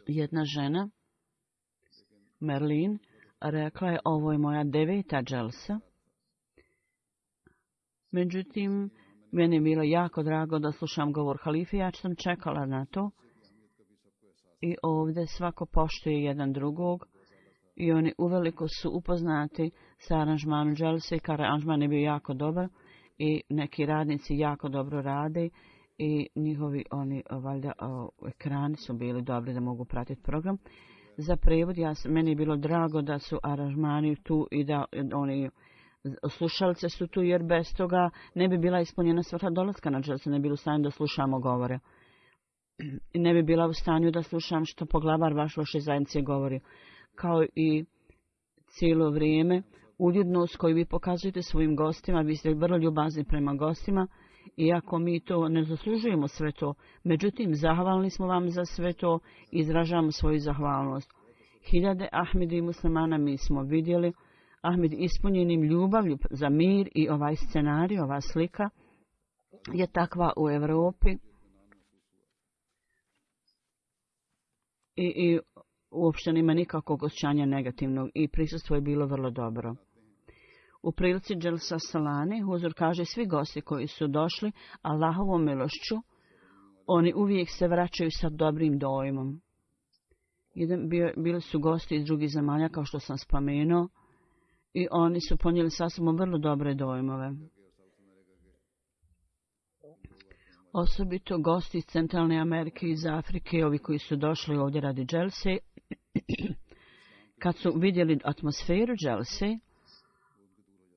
Jedna žena, Merlin, rekla je, ovo je moja deveta dželsa. Međutim, meni je bilo jako drago da slušam govor halife, ja sam čekala na to. I ovdje svako poštuje jedan drugog i oni uveliko su upoznati sa aranžmanom dželse, i aranžman je bio jako dobar i neki radnici jako dobro rade. I njihovi oni valjda o, ekrani su bili dobri da mogu pratiti program. Za prevod ja, meni je bilo drago da su aranžmani tu i da oni slušalice su tu, jer bez toga ne bi bila ispunjena svrha dolaska na dželsu, ne bi bila u stanju da slušamo govore. I ne bi bila u stanju da slušam što poglavar vaš vaše zajednice govori. Kao i cijelo vrijeme uljudnost koju vi pokazujete svojim gostima, vi ste vrlo ljubazni prema gostima. Iako mi to ne zaslužujemo sve to, međutim, zahvalni smo vam za sve to i izražavamo svoju zahvalnost. Hiljade Ahmedi i muslimana mi smo vidjeli, Ahmed ispunjenim ljubavlju za mir i ovaj scenarij, ova slika je takva u Europi. I, i uopšte nema nikakvog osjećanja negativnog i prisustvo je bilo vrlo dobro. U prilici Dželsa Salane, huzur kaže, svi gosti koji su došli Allahovom milošću, oni uvijek se vraćaju sa dobrim dojmom. Jedan, bio, bili su gosti iz drugih zemalja, kao što sam spomenuo, i oni su ponijeli sa sobom vrlo dobre dojmove. Osobito gosti iz Centralne Amerike i iz Afrike, ovi koji su došli ovdje radi Dželse, kad su vidjeli atmosferu Dželse,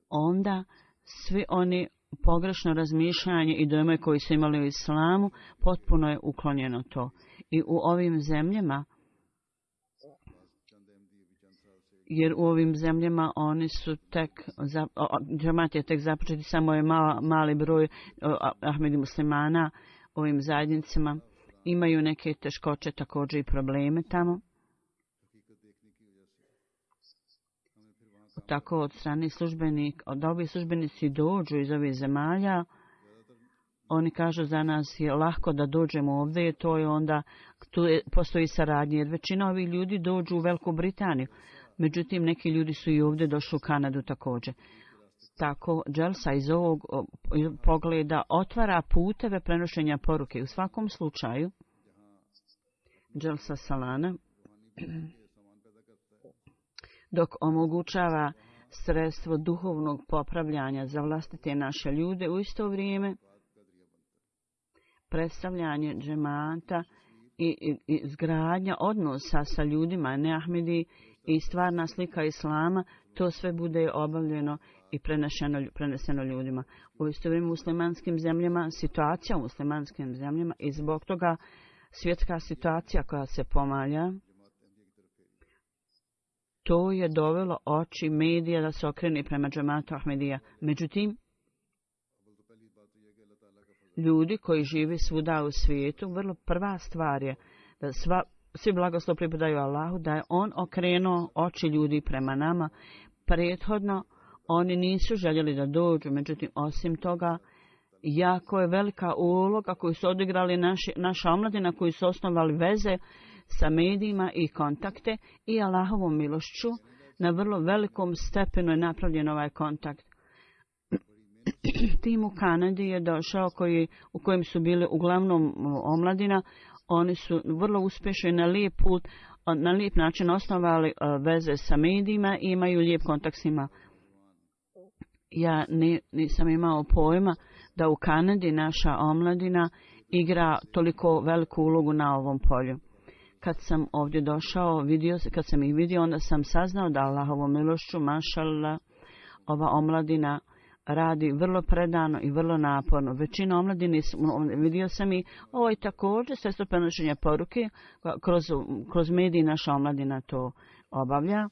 onda svi oni pogrešno razmišljanje i dojme koji su imali u islamu, potpuno je uklonjeno to. I u ovim zemljama, jer u ovim zemljama oni su tek, džemat je tek započeti, samo je mala, mali broj Ahmedi muslimana u ovim zajednicama, imaju neke teškoće također i probleme tamo. Tako od strane službenik, od ovi službenici dođu iz ovih zemalja, oni kažu za nas je lahko da dođemo ovdje, to je onda, tu je, postoji saradnje, jer većina ovih ljudi dođu u Veliku Britaniju, međutim neki ljudi su i ovdje došli u Kanadu također. Tako dželsa iz ovog pogleda otvara puteve prenošenja poruke. U svakom slučaju, dželsa Salana, dok omogućava sredstvo duhovnog popravljanja za vlastite naše ljude, u isto vrijeme predstavljanje džemata i, i, i izgradnja odnosa sa ljudima, ne Ahmedi, i stvarna slika islama, to sve bude obavljeno i preneseno, preneseno ljudima. U isto vrijeme u muslimanskim zemljama, situacija u muslimanskim zemljama i zbog toga svjetska situacija koja se pomalja, to je dovelo oči medija da se okrene prema džematu Ahmedija. Međutim, ljudi koji žive svuda u svijetu, vrlo prva stvar je da sva, svi blagoslov pripadaju Allahu, da je on okrenuo oči ljudi prema nama. Prethodno oni nisu željeli da dođu, međutim, osim toga, jako je velika uloga koju su odigrali naši, naša omladina, koji su osnovali veze sa medijima i kontakte i Allahovom milošću. Na vrlo velikom stepenu je napravljen ovaj kontakt. Tim u Kanadi je došao koji, u kojem su bili uglavnom omladina. Oni su vrlo uspješni na lijep put, na lijep način osnovali veze sa medijima i imaju lijep kontakt s njima. Ja ne, nisam imao pojma da u Kanadi naša omladina igra toliko veliku ulogu na ovom polju. kad sam ovdje došao, vidio, kad sam ih vidio, onda sam saznao da Allahovom milošću, mašallah, ova omladina radi vrlo predano i vrlo naporno. Većina omladine, vidio sam i ovo je također sredstvo prenošenja poruke, kroz, kroz mediji naša omladina to obavlja.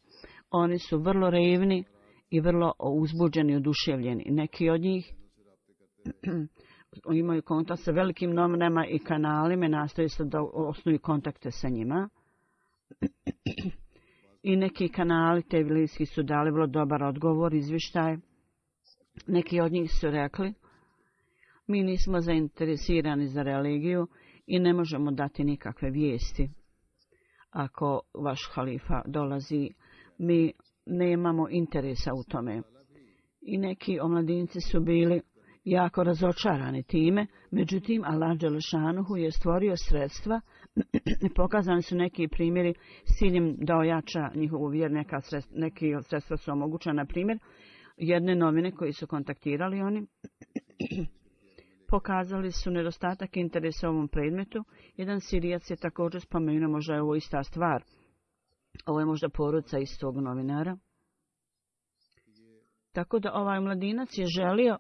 Oni su vrlo revni i vrlo uzbuđeni i oduševljeni. Neki od njih imaju kontakt sa velikim novinama i kanalima, nastoje se da osnuju kontakte sa njima. I neki kanali televizijski su dali vrlo dobar odgovor, izvještaj. Neki od njih su rekli, mi nismo zainteresirani za religiju i ne možemo dati nikakve vijesti. Ako vaš halifa dolazi, mi nemamo interesa u tome. I neki omladinci su bili jako razočarani time, međutim Allah dželešanuhu je stvorio sredstva i pokazani su neki primjeri s ciljem da ojača njihovu vjeru. Neka sredstva, neki od sredstva su omogućena, na primjer, jedne novine koji su kontaktirali oni pokazali su nedostatak interesa u ovom predmetu. Jedan Sirijac je također spomenuo, možda je ovo ista stvar. Ovo je možda poruca istog novinara. Tako da ovaj mladinac je želio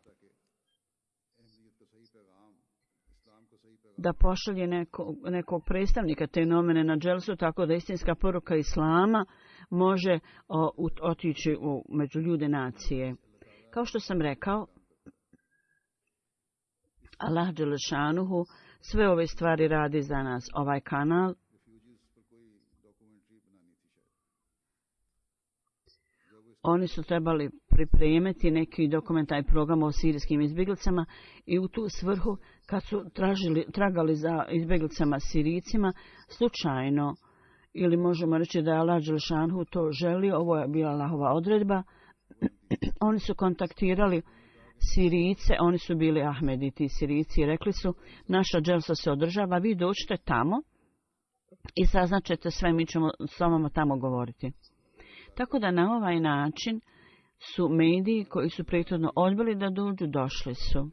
da pošalje neko, nekog predstavnika te novine na dželsu, tako da istinska poruka islama može o, otići u, među ljude nacije. Kao što sam rekao, Allah dželešanuhu sve ove stvari radi za nas. Ovaj kanal oni su trebali pripremiti neki dokumentarni program o sirijskim izbjeglicama i u tu svrhu kad su tražili, tragali za izbjeglicama Sirijcima slučajno, ili možemo reći da je Allah dželešanuhu to želio, ovo je bila Allahova odredba, oni su kontaktirali Sirijce, oni su bili Ahmedi, ti Sirijci, i rekli su, naša dželsa se održava, vi dođite tamo i saznačete sve, mi ćemo s vama tamo govoriti. Tako da na ovaj način su mediji koji su prethodno odbili da dođu, došli su.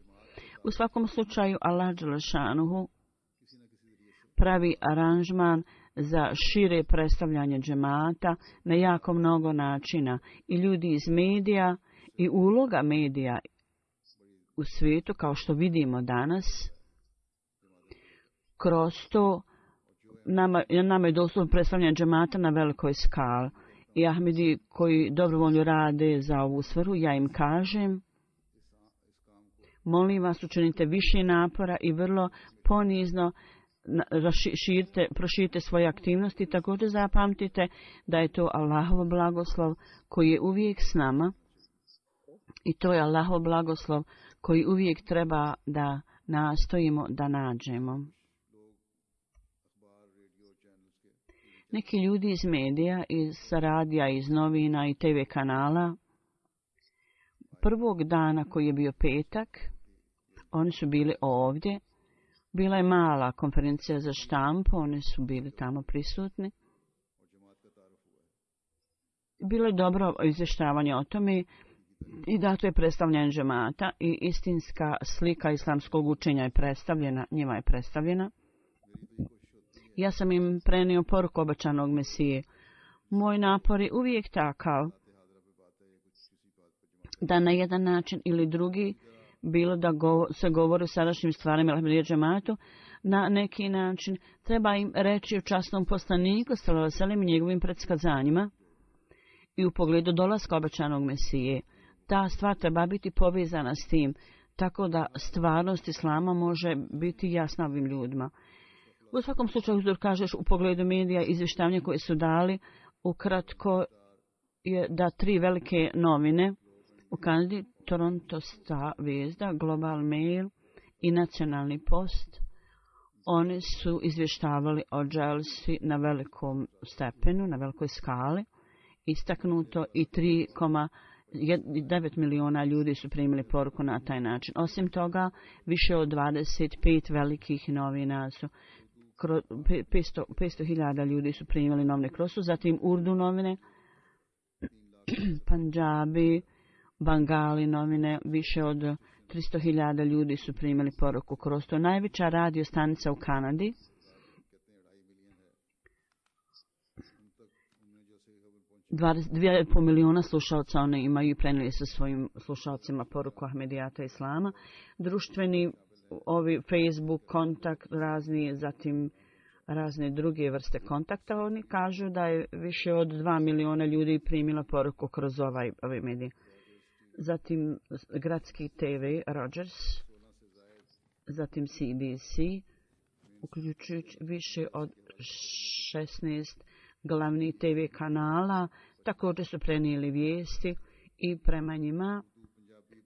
U svakom slučaju Allah dželešanuhu pravi aranžman za šire predstavljanje džemata na jako mnogo načina. I ljudi iz medija i uloga medija u svijetu, kao što vidimo danas, kroz to nama, nama je doslovno predstavljanje džemata na velikoj skali. I Ahmedi koji dobrovoljno rade za ovu svrhu, ja im kažem, molim vas, učinite više napora i vrlo ponizno širite, proširite svoje aktivnosti. Također zapamtite da je to Allahov blagoslov koji je uvijek s nama i to je Allahov blagoslov koji uvijek treba da nastojimo da nađemo. Neki ljudi iz medija, iz radija, iz novina i te ve kanala, prvog dana koji je bio petak, oni su bili ovdje. Bila je mala konferencija za štampu, oni su bili tamo prisutni. Bilo je dobro izvještavanje o tome i dato je predstavljanje džemata i istinska slika islamskog učenja je predstavljena, njima je predstavljena. Ja sam im prenio poruku obećanog Mesije. Moj napor je uvijek takav da na jedan način ili drugi, bilo da go, se govori o sadašnjim stvarima Ahmedija džematu, na neki način treba im reći o časnom poslaniku sallallahu alejhi ve sellem i njegovim predskazanjima i u pogledu dolaska obećanog Mesije. Ta stvar treba biti povezana s tim, tako da stvarnost islama može biti jasna ovim ljudima. U svakom slučaju, uzor kažeš u pogledu medija, izvještavanja koje su dali, ukratko je da tri velike novine u Kanadi, Toronto Star Vijezda, Global Mail i Nacionalni post, oni su izvještavali o dželsi na velikom stepenu, na velikoj skali, istaknuto i tri zarez devet miliona ljudi su primili poruku na taj način. Osim toga, više od dvadeset pet velikih novina su, petsto hiljada ljudi su primili novine kroz su, zatim Urdu novine, Panjabi, Bangali novine, više od tristo hiljada ljudi su primili poruku kroz to. Najveća radio stanica u Kanadi dvadeset dva i pol miliona slušalca one imaju i prenijeli su svojim slušalcima poruku Ahmedijata Islama. Društveni, ovi Facebook, kontakt razni, zatim razne druge vrste kontakta, oni kažu da je više od dva miliona ljudi primila poruku kroz ovaj, ovaj medij. Zatim gradski T V Rogers, zatim C B C, uključujući više od šesnaest glavnih T V kanala, također su prenijeli vijesti i prema njima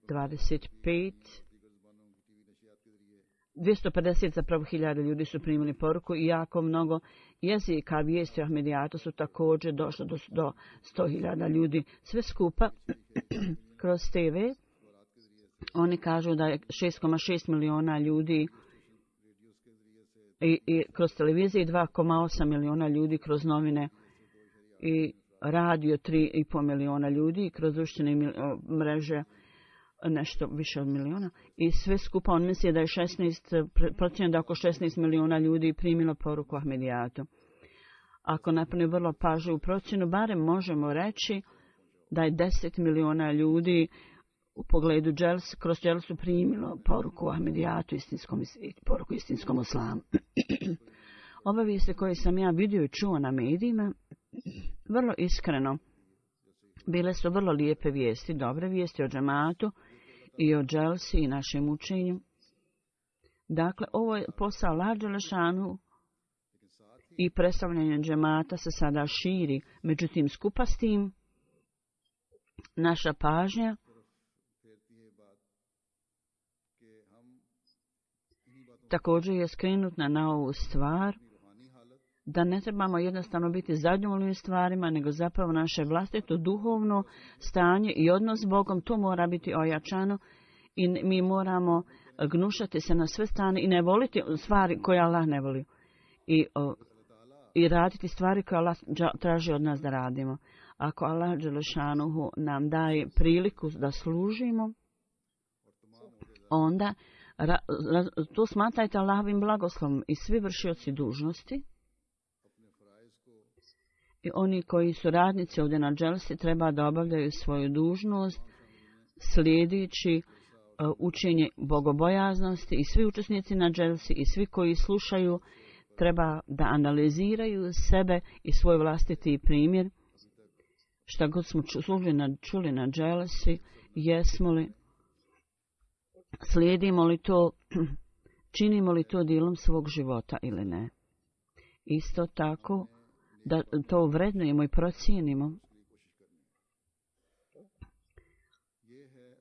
dvadeset pet dvjesto pedeset zapravo hiljada ljudi su primili poruku i jako mnogo jezika vijesti o Ahmedijatu su također došlo do, do sto hiljada ljudi. Sve skupa kroz T V oni kažu da je šest zarez šest miliona ljudi i, i kroz televiziju i dva zarez osam miliona ljudi kroz novine i radio tri zarez pet miliona ljudi i kroz društvene mreže nešto više od miliona i sve skupa on misli da je šesnaest procjena da oko šesnaest miliona ljudi primilo poruku Ahmedijatu. Ako napravi vrlo pažljivu procjenu, barem možemo reći da je deset miliona ljudi u pogledu džels, kroz dželsu primilo poruku Ahmedijatu, istinskom, poruku istinskom islamu. Obavijesti koje sam ja vidio i čuo na medijima, vrlo iskreno, bile su vrlo lijepe vijesti, dobre vijesti o džematu i o dželsi i našem učenju. Dakle, ovo je posao Allah dželešanu i predstavljanje džemata se sada širi. Međutim, skupa s tim, naša pažnja također je skrenutna na ovu stvar, da ne trebamo jednostavno biti zadovoljni stvarima, nego zapravo naše vlastito duhovno stanje i odnos s Bogom, to mora biti ojačano i mi moramo gnušati se na sve strane i ne voliti stvari koje Allah ne voli. I, o, i raditi stvari koje Allah traži od nas da radimo. Ako Allah dželešanuhu nam daje priliku da služimo, onda ra, ra, to smatrajte Allahovim blagoslovom i svi vršioci dužnosti i oni koji su radnici ovdje na dželsi treba da obavljaju svoju dužnost slijedeći uh, učenje bogobojaznosti i svi učesnici na dželsi i svi koji slušaju treba da analiziraju sebe i svoj vlastiti primjer. Šta god smo čuli na, čuli na dželsi, jesmo li, slijedimo li to, činimo li to dijelom svog života ili ne. Isto tako, da to vrednujemo i procijenimo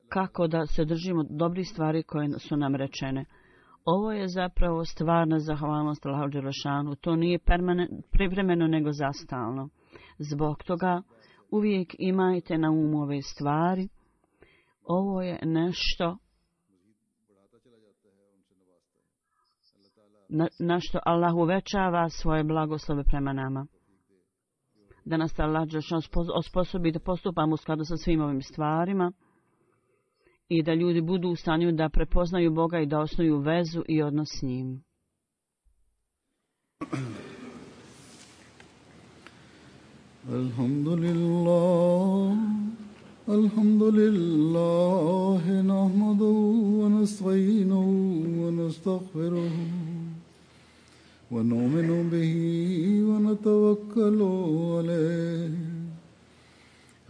kako da se držimo dobrih stvari koje su nam rečene. Ovo je zapravo stvarna zahvalnost Allahu dželešanu. To nije privremeno nego zastalno. Zbog toga uvijek imajte na umu ove stvari. Ovo je nešto na, na što Allah uvećava svoje blagoslove prema nama. Da nas Allah osposobi da postupamo u skladu sa svim ovim stvarima i da ljudi budu u stanju da prepoznaju Boga i da osnuju vezu i odnos s njim. Alhamdulillah, alhamdulillah, nahmaduhu wa nasta'inuhu wa nastaghfiruhu. ونؤمن به ونتوكل عليه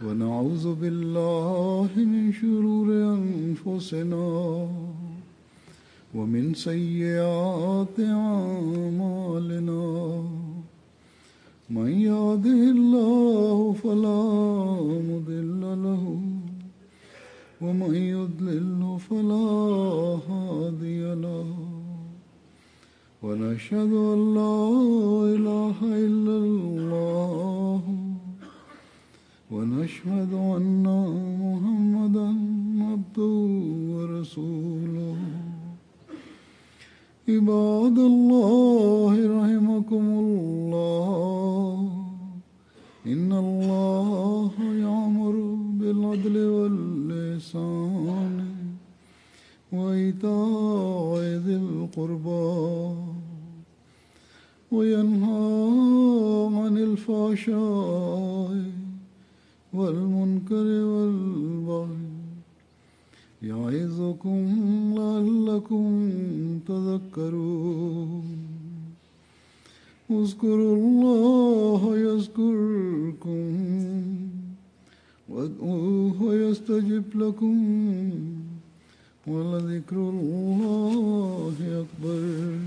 ونعوذ بالله من شرور أنفسنا ومن سيئات أعمالنا من يهده الله فلا مضل له ومن يضلل فلا هادي له ونشهد أن لا إله إلا الله ونشهد أن محمدا عبده ورسوله عباد الله رحمكم الله إن الله يأمر بالعدل والإحسان وإيتاء ذي القربى وينهى عن الفحشاء والمنكر والبغي يعظكم لعلكم تذكرون اذكروا الله يذكركم وادعوه يستجب لكم ولذكر الله أكبر